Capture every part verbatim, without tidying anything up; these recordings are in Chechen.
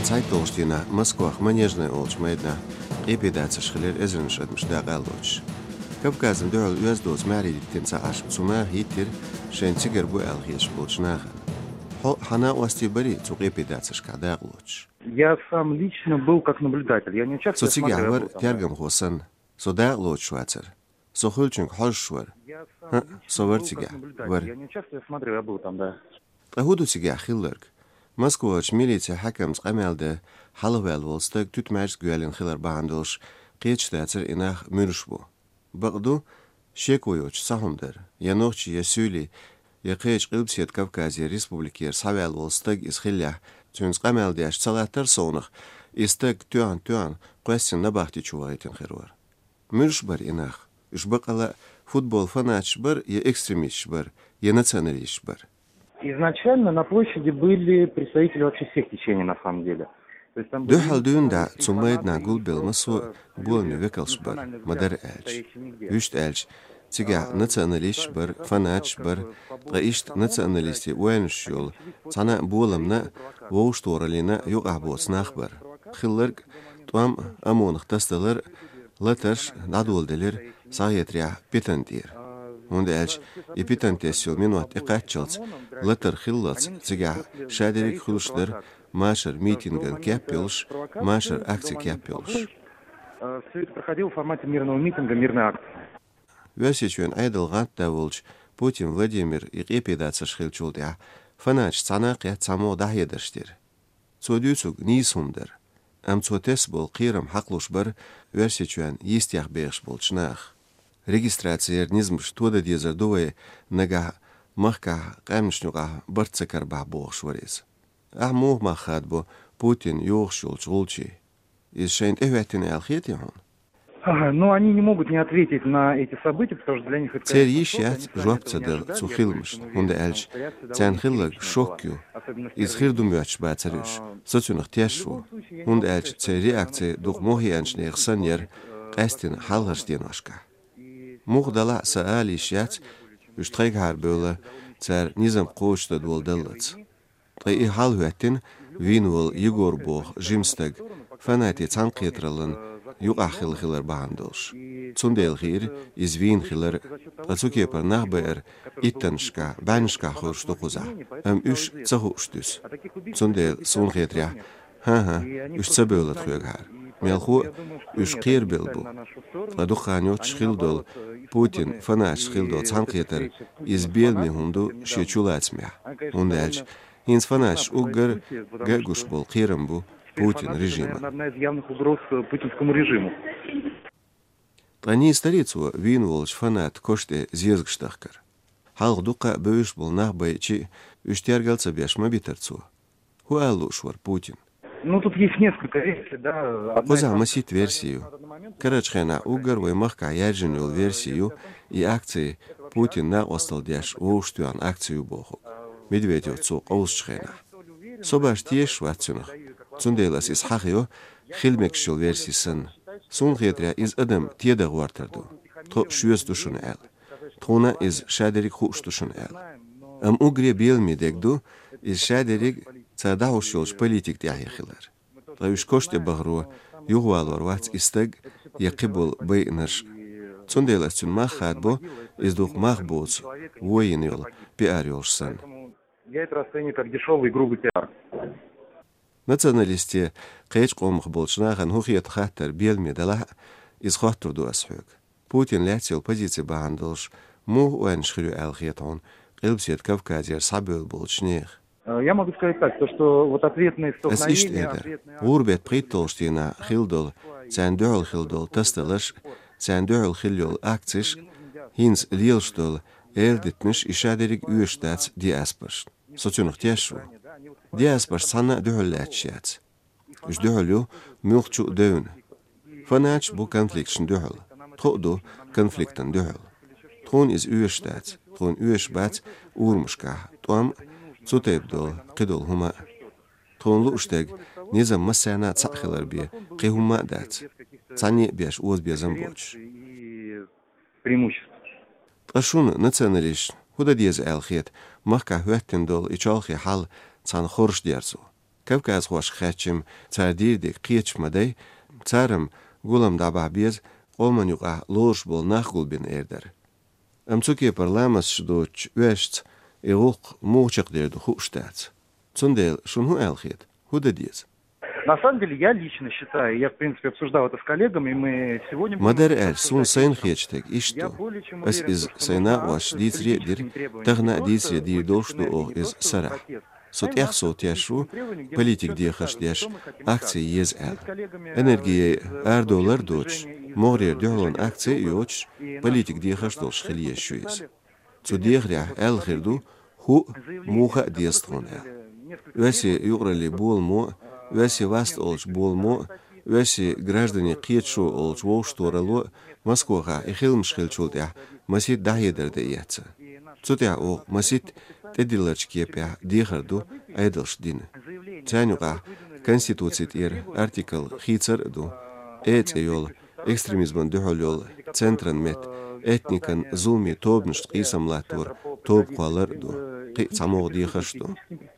ЦхьайтталгӀача дийнахьа Москвахь Манежный олучу майданахь къепедацарш хилира эзарнаш адамаш дакъа а лоцуш. Кавказна дуьхьал оьзда доцу маьхьарий диттина ца Ӏаш, цу наха хӀиттира шайна цигара бу аьлла хеташ болчу нахана. Хьо хьан накъостий барий цу къепедацаршкахь дакъа лоцуш? Я сам лично был как наблюдатель. Я не участвовал, я смотрел, я был там, да. Со цигахь вара тергамхо санна. Со дакъа лоцуш вацара. Со хуьлучуьнга хьожуш вара. ХӀаъ, со вара цигахь. Вара. Я не участвовал, я смотрел, я был там, да. Ткъа хӀун ду цигахь хилларг? Москварчу милицин хьаькамца къамел дан хьалхаваьлла волу стаг туьтмаьжца гоьллина хилар бахьана долуш, кхеташ дацара и нах муьлш бу. Бакъду, шеко йоцуш цхьа хӀума дара, я нохчий, я суьйлий, я кхечу Къилбаседа Кавказера республикера схьаваьлла волу стаг иза хиллехь, цуьнца къамел деш ца латтара совнах, и стаг тоьхна-тоьхна кхоьссина набахти чу вахийтина хир вара. Муьлш бара и нах? Уьш бакъала футбол фанаташ бара, я экстремисташ бара, я националисташ бара? Изначально на площади были представители вообще всех течений, на самом деле. То есть там были... Дуьхьал дуьйна дӀа цу майданахь гулбелла массо а боламийн векалш бара, ма-дарра аьлча. Вуьшта аьлча, цигахь националисташ бара, фанаташ бара, ткъа иштта националистийн ойланаш йолу, цхьана а боламна а, вовшахтохараллина а юкъахь боцу нах бара. Хилларг, тӀом а, ОМОНах тасадалар а, латарш а дӀадоладелира, схьахетарехь, питана тӀера. ХӀунда аьлча и питана тесна йолу минот тӀекхаччалц, латар хиллалц, цигахь шадерриг а хуьлуш дара машар митинган кеп йолуш, машар акци кеп йолуш. Все это проходило в формате мирного митинга, мирной акции. Оьрсийчоьнан Ӏедалан гӀантда волчу Путин Владимира и къепедацарш хиллачул тӀаьхьа фанаташ цхьаьна а кхетта цхьаммо а дӀахьедарш дира. Цо дуьйцург нийса хӀума дара, амма цо тесна болу кхерам хьакхалуш бара Оьрсийчоьнна йистех бехаш болчу наха. Регистраци яран низамаш тодан дезар ду вай, нагахь махкахь къаьмнашна юкъахь барт ца карабахь, бохуш вара иза. Ахь муха мах хадабо Путинна йогӀуш йолчу гӀулчийн? Иза шайна тӀехӀоьттина аьлла хетий хьуна? Ага, ну, они не могут не ответить на эти события, потому что для них это... Церан йиш яц жоп ца дала цу хиламашна, хӀунда аьлча царна хилларг шок ю. Иза хир ду моьттуш бацара уьш. Со цуьнах теш ву, хӀунда аьлча церан реакци дукха мохь еанчу нехан санна яра, къаьсттина хьалхарчу деношкахь. Муха делахь а, сан ала йиш яц, уьш тхайгахьара бевлла, цара низам кхочушдан долу даллалц. Ткъа и хьал хӀоьттина вийна волу Егор боху жима стаг, фанатийн цхьаьнакхетараллина юкъахь хилла хилар бахьана долуш. Цундела хиира иза вийна хилар, ткъа цу кепара нах байар иттаннашкахь, бӀеннашкахь хуьлуш ду кхузахь, амма уьш ца хууш дуьсу. Цундела, суна хетарехь, хӀан-хӀа, уьш ца бевлла тхоьгахьара. Мелхо а, уьш кхерабелла бу. Ткъа дукха хан йоццуш хилла долу, Путинан фанаташца хилла долу цхьаьнакхетар, иза беламе хӀума ду шен чулацамехь, хӀунда аьлча хӀинца фанаташ уггар ган а гуш болу кхерам бу Путинан режиман. Одна из явных угроз, э, путинскому режиму. Ткъа нийса дарий цо вийна волчу фанатан коша тӀе зезагаш дахкар? Хьалха дуккха а бевзаш болу нах байча а, уьш тергал ца беш ма битара цо. ХӀун ала лууш вара Путин? Ну, тут есть несколько версий, да. Одна из... Кхузахь масийтта верси ю. Карарчу хенахь уггар вай махкахь яьржина йолу верси ю, и акци Путинан накъосталла деш вовшахтоьхна акци ю бохург, Медведев цо къовсучу хенахь. Со баш тешаш вац цуьнах, цундела ас иза хьахайо, хила мегаш йолу верси санна. Суна хетарехь, иза адам теда гӀортар ду. Тхо а шоьца ду шуна аьлла. Тхуна иза шадерриг хууш ду шуна аьлла. Амма уггаре беламе дерг ду, иза шадерриг цара дӀахьуш йолчу политика тӀаьхье хилар. Ткъа уьш коша тӀе бахаро юхавалор вац и стаг я кхиболу байинарш а. Цундела ас цуьнан мах хадабо, иза дукха мах боцу, вон йина йолу пиар йолуш санна. Я это расцениваю как дешёвый и грубый пиар. Националистийн, кхечу къомах болчу нахана хӀун хета хаттар беламе далахь а, иза хоттур ду ас хьоьга. Путинан лаьцна йолу позици бахьана долуш, муха ойланаш хир ю аьлла хета хьуна Къилбаседа Кавказера схьабевлла болчу нехан? Э, я могу сказать так, то, что вот ответные столкновения... Ас иштта эр дара. ГӀуран беттан пхийтталгӀачу дийнахь хилла долу, царна дуьхьал хилла долу тасадаларш а, царна дуьхьал хилла йолу акцеш а, хӀинца лелаш долу эладитанаш, и шадерриг оьшуш дац диаспорашна. Со цуьнах тешаш ву. Диаспораш цхьанна а дуьхьал лаьтташ яц. Уьш дуьхьал ю муьлххачу а девнна. Фанаташ бу конфликташна дуьхьал. Тхо а ду конфликтана дуьхьал. Тхуна иза оьшуш дац. Тхуна оьшуш бац урамашкахь тӀом а, цу тайпа долу кхидолу хӀума а. Тхуна лууш дерг низам массарна а цхьаъ хилар бен кхин хӀумма а дац, цхьанне а беш озабезам боцуш. Преимуществ. Ткъа шуна, националисташна, хӀун дан деза аьлла хета махкахь хӀоьттина долу и чолхе хьал цхьана хорша дерзо? Кавказхошка хаьттича-м, цар дийрдиг кхеташ ма дай, цар-м гулам дӀабахьа беза къоман юкъахь лоруш болу нах гулбина эр дара. Амма цу кепара ламасташ доцучу оьшшаца и гӀуллакх муха чекхдер ду хууш дац. Цундела шуна хӀун аьлла хета, хӀун дан деза? На самом деле, я лично считаю, я, в принципе, обсуждал это с коллегами, мы сегодня... Ма-дарра аьлча, суна сайна хеташ дерг иштта ду. Ас иза сайн накъосташна дийцаре а дира, тахана а дийцаре дийр долуш ду оха иза сарахь. Со тӀех сов теш ву политикан дехарш деш акци еза аьлла. Энергин арадовлар а доцуш, могӀарера дуьхьалонан акци а йоцуш, политикан дехарш долуш хила езаш ю иза. Цу дехарехь аьлла хир ду, хӀуъа, муха а деза тхуна аьлла. Оьрсийн юкъараллин боламо а, оьрсийн васт олучу боламо а, оьрсийн гражданийн кхеташо олучу вовшахтохаралло а Москвахь и хиламаш хиллачул тӀаьхьа масийтта дӀахьедар дан эцна. Цу тӀехь оха масийтта тӀедилларчу кепехь дехар ду Ӏедалшна дина. Царна юкъахь Конституци тӀера артикл хийцар а ду, Э цӀе йолу, экстремизмана дуьхьал йолу центран метта, этникан зуламийн тобанашца къийсам латторан тоба кхоллар а ду, кхин а цхьа могӀа дехарш а ду.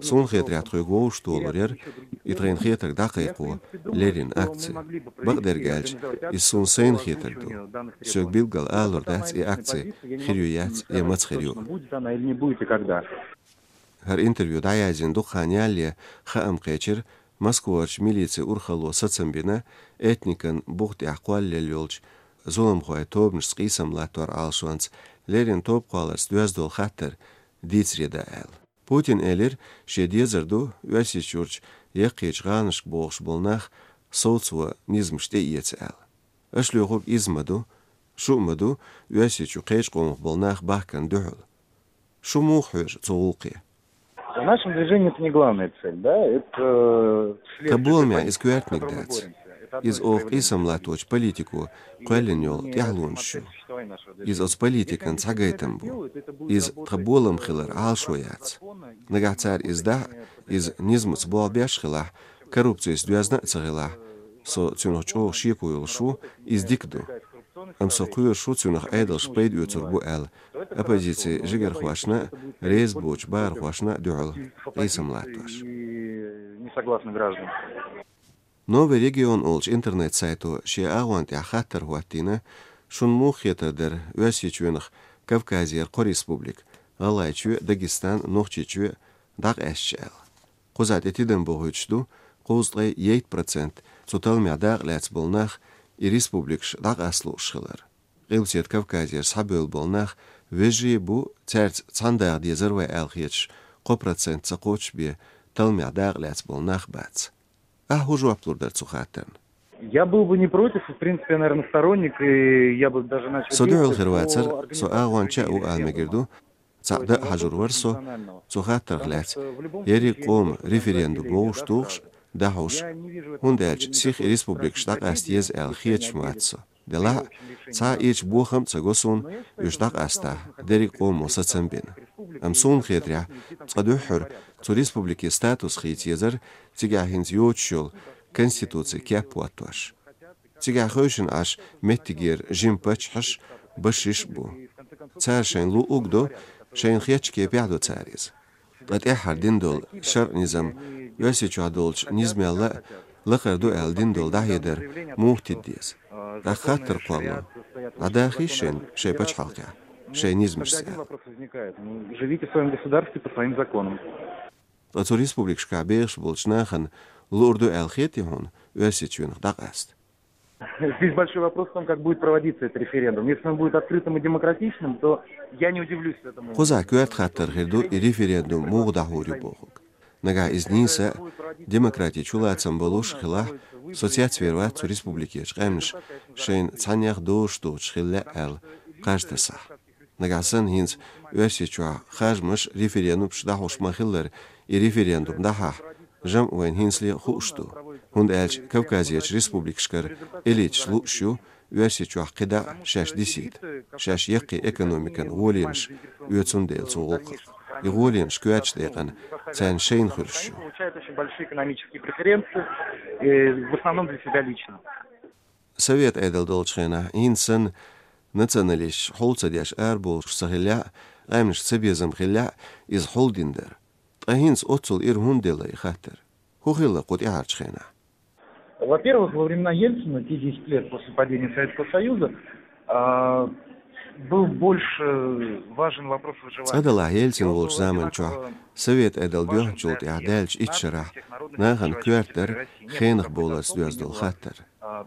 Суна хетарехь, тхоьга вовшахтохалур яра и тхайна хетарг дӀакхайкхо леррина акци. Бакъдерг аьлча, иза суна сайна хетарг ду. Соьга билггал алур дац и акци хир ю, яц я маца хир ю. Будет она или не будет и когда. ХӀара интервью дӀаяздина дукха хан ялале хаам кхечира, Москварчу милицин урхалло сацам бина, этникан бух тӀехь кхоллаелла йолчу зуламхойн тобанашца къийсам латтор Ӏалашонца леррина тоба кхолларца доьзна долу хаттар дийцаре дан аьлла. Путина элира, шен дезар ду Оьрсийчуьрчу яккхийчу гӀаланашка богӀуш болу нах совцо низамаш тӀеэца аьлла. Аша лоьхург иза ма ду, шу а ма ду Оьрсийчу кхечу къомах болу нах бахкарна дуьхьал. Шу муха хьоьжу цу гӀуллакхе? В нашем движении это не главная цель, да? Это... Тхан боламехь иза коьртаниг дац. Иза оха къийсам латточу политико кхоьллина йолу тӀаьхьалонаш ю. Иза оцу политикан цхьа гайтам бу. Иза тхан болам хилар Ӏалашо яц. Нагахь цара иза дахь а, иза низамца болх беш а хилахь, коррупцица доьзна а ца хилахь, со цуьнах чӀогӀа шеко йолуш ву, иза дика ду. Амма со кхоьруш ву цуьнах Ӏедалша пайда оьцур бу аьлла, оппозицин жигархошна а, реза боцучу бахархошна а дуьхьал къийсам латтош. Не согласны граждан. «Новый регион» олучу интернет-сайто шен агӀон тӀехь хаттар хӀоттийна, шуна муха хетар дара Оьрсийчоьнах Кавказера кхо республика, ГӀалгӀайчоь а, Дагестан а, Нохчийчоь а, дӀакъаьстича аьлла. Кхузахь тӀе тидам бохуьйтуш ду, кхузткъе итт процент цу талламехь дакъа лаьцна болу нах и республикаш дӀакъаста лууш хилар. Къилбаседа Кавказера схьабевлла болу нах вежарий а бу, цаьрца цхьаьна даха дезара вай аьлла хеташ, кхо процент ца кхоччуш бен талламехь дакъа лаьцна болу нах бац. Ахьа хӀун жоп лур дара цу хаттарна? Я был бы не против, в принципе, наверное, сторонник, и я бы даже начал... Со дуьхьал хир вацара, со агӀонча а ву ала мегар ду, цхьаъ дан а хьажур вара со цу хаттарх лаьцна, ерриг къоман референдум вовшахтухуш, дӀахьуш, хӀунда аьлча сиха и республикаш дӀакъаста еза аьлла хеташ ма вац со. Делахь а, цхьа а ирча бохам а ца го суна, уьш дӀакъастахь, дерриг къомо сацам бина. Амма суна хетарехь, цкъа дуьххьара цу республикийн статус хийца езара, цигахь хӀинца йоцуш йолу конституцин кеп хӀоттош. Цигахь хевшина Ӏаш меттигера жима паччахьаш, башиш а бу. Цара шайна луъург а до, шайна хетачу кепехь а до цара иза. Ткъа тӀаьххьара дина долу шарӀан низам, Оьрсийчохь долчу низамел а лакхара ду аьлла дина долу дӀахьедар муха тида деза? ТӀаккха хаттар кхолло: дӀадахийша шайна шайн пачхьалкхехь, шайн низамашца аьлла. Вопрос возникает. Ну, живите в своём государстве по своим законам. Ткъа цу республикашкахь бехаш болчу нахана луур ду аьлла хетий хьуна Оьрсийчоьнах дӀакъаста? Здесь большой вопрос в том, как будет проводиться этот референдум. Если он будет открытым и демократичным, то я не удивлюсь этому. Кхузахь коьрта хаттар хир ду и референдум муха дӀахьур ю бохург. Нагахь иза нийса а, демократин чулацам болуш а хилахь, со цецвер вац цу республикерчу къаьмнаша шайна цхьаннех дозуш доцуш хила лаьа аьлла кхаж тасахь. Нагахь санна хӀинца Оьрсийчохь харжамаш, референдумаш дӀахьуш ма-хиллара, и референдум дӀахьахь, жамӀ вайна хӀинцале а хууш ду, хӀунда аьлча Кавказерчу республикашкара элиташ лууш ю Оьрсийчохь кхидӀа а шаьш дисийта, шаьш яккхий экономикан гӀоленаш оьцун дела цу гӀуллакхах. И гӀоленаш коьртачу декъана царна шайна хуьлуш ю. Получают очень большие экономические преференции, э, в основном для себя лично. Совет Ӏедал долчу хенахь, хӀинца санна, националисташ хьул ца деш арабовлуш ца хиллехь а, къаьмнашка цабезам хиллехь а, иза хьулдина дара. Ткъа хӀинца оццул ира хӀунда делла и хаттар? ХӀу хилла кху тӀаьхьарчу хенахь? Во-первых, во времена Ельцина, те десять лет после падения Советского Союза, а, был больше важен вопрос выживания. Цкъа делахь, Ельцин волчу заман чохь, Совет Ӏедал доьхначул тӀаьхьа даьллачу итт шарахь, нахана коьрта дара хенах боларца доьзна долу хаттар.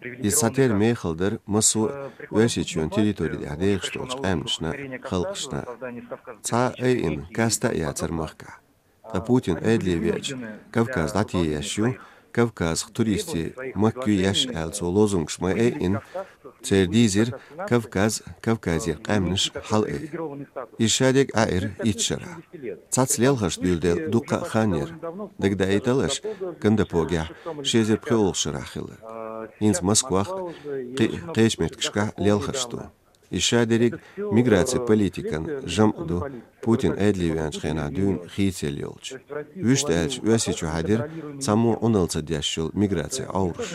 Иза цхьатерра мехала дара массо а Оьрсийчоьнан территори тӀехь дехаш долчу къаьмнашна а, халкъашна а. Цхьа а айина каста а яцара махкахь. Ткъа Путин Ӏедале веача, Кавказ дӀатееш ю, Кавказах туристийн махка ю еш аьлла, цо лозунгаш ма айина, церан дийзира Кавказ, Кавказера къаьмнаш хьалаайа. Иза шадерг Ӏаьира итт шарахь. Цхьацца лелхарш дуьйладелла дуккха а хан яра. Дагадаийтал аша, Кандапогехь ши эзар пхоьалгӀачу шарахь хилар. ХӀинца Москвах а, кхин а кхечу меттигашкахь лелхарш ду. Иза шадерриг миграцин политикан жамӀ ду, Путин Ӏедале веанчу хенахь дуьйна хийцаелла йолчу. Вуьшта аьлча, Оьрсийчохь дара цхьаммо а Ӏуналла ца деш йолу миграцин Ӏовраш.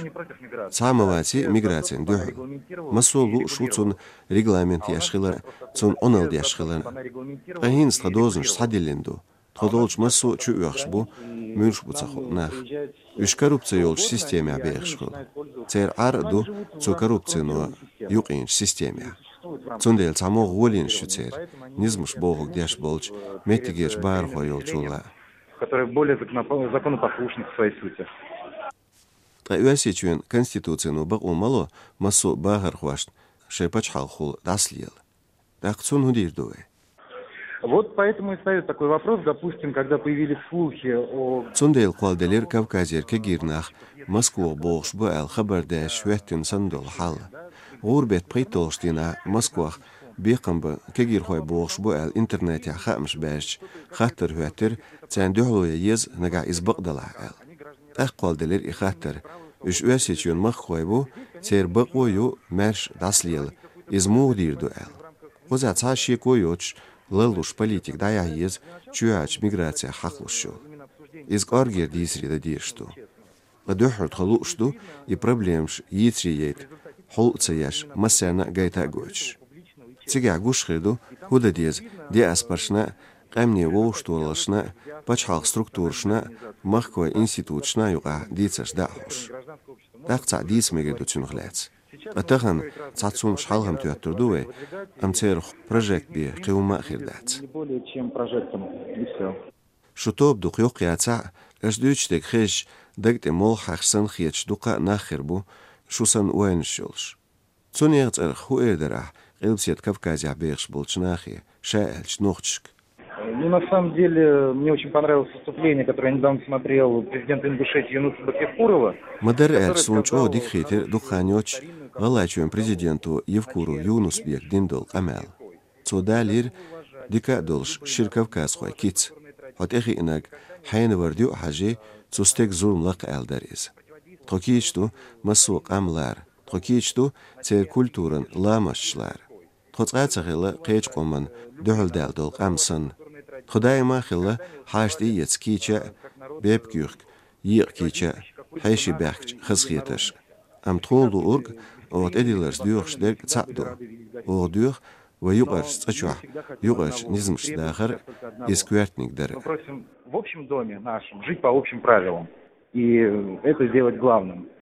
Цхьа а ма вацара миграцина дуьхьал. Массо а лууш ву цунна регламент еш хилар, цунна Ӏуналла деш хилар. Ткъа хӀинца тхан дозанаш схьадиллина ду. Тхо долчу массо а чу оьхуш бу, муьлш бу ца хууш нах. Уьш коррупци йолчу системехь бехаш хуьлу. Церан Ӏар а ду цу коррупцино юкъийначу системехь. Цундела цхьаммо а гӀолийнаш ю церан, низамаш бохург деш болчу меттигерчу бахархой йолчул а. Которые более законопо- законопослушны в своей сути. Ткъа Оьрсийчоьнан конституцино бакъо ма ло массо а бахархошна шайн пачхьалкхехула дӀасалела. ТӀаккха цунна хӀун дийр ду вай? Вот поэтому и встаёт такой вопрос, допустим, когда появились слухи о... Цундела кхолладелира Кавказера кегийра нах Москвахь богӀуш бу аьлла хабар деш хӀоьттина санна долу хьал. ГӀуран беттан пхийтталгӀачу дийнахь Москвахь бекхам бан кегийрхой богӀуш бу аьлла интернетехь хаамаш баьржича, хаттар хӀоьттира, царна дуьхьало ян еза, нагахь иза бакъ делахь аьлла. ТӀаккха кхолладелира и хаттар. Уьш Оьрсийчоьнан махкахой бу, церан бакъо ю маьрша дӀасалела, иза муха дийр ду аьлла. Кхузахь цхьа а шеко йоцуш, ларлуш политика дӀаяхьа еза чоьхьарчу миграцех хьакхалуш йолу. Иза кӀоргера дийцаре дан дезаш ду. Ткъа дуьххьара тхо лууш ду и проблемаш йийцаре яйта, хьул а ца еш, массарна а гайта а гойтуш. Цигахь гуш хир ду, хӀун дан деза диаспорашна а, къаьмнийн вовшахтохараллашна а, пачхьалкхан структурашна а, махкахойн институташна а юкъахь дийцарш дӀа а хьош. ТӀаккха цхьаъ дийца мегар ду цунах лаьцна. Ткъа тахана цхьацца хӀуманаш хьалха-м тоьттур ду вай, амма церан прожект бен кхин хӀума а хир дац. Не более чем прожектом, и всё. Шу тоба дукха йоккха яцахь а, аша дуьйцуш дерг хезча, даг тӀе молха хьаьхча санна хеташ дуккха а нах хир бу, шу санна ойланаш йолуш. Цу нехан цӀарах хӀун эр дара ахь Къилбаседа Кавказехь бехаш болчу нахе, ша аьлча, нохчашка? Ну, на самом деле, мне очень понравилось выступление, которое я недавно смотрел, президента Ингушетии Юнуса Бакиркурова. Ма-дарра аьлча, суна чӀогӀа дика хийтира дукха хан йоццуш ГӀалгӀайчоьнан президенто Евкуров Юнус-Бека дина долу къамел. Цо далийра дика а долуш шира кавказхойн кица. Хьо тӀехиънарг хьенан вара дуьа хьажий, цу стеган зулам лакха аьлла дара иза. Тхо кийча ду массо а къам лара. Тхо кийча ду церан культуран ламасташ лара. Тхо цкъа а ца хилла кхечу къоман дуьхьалдаьлла долу къам санна. Тхо даима а хилла хьаша тӀеэца кийча а, бепиг юьхка, екъа кийча а, хьеший баьхкачу хазахетарш а. Амма тхуна луург, оха тӀедилларца доьхуш дерг цхьаъ ду. Оха доьху вай юкъарчу цӀа чохь юкъарчу низамашца дахар а, иза коьртаниг дар а. Мы просим в общем доме нашем жить по общим правилам. И это сделать главным.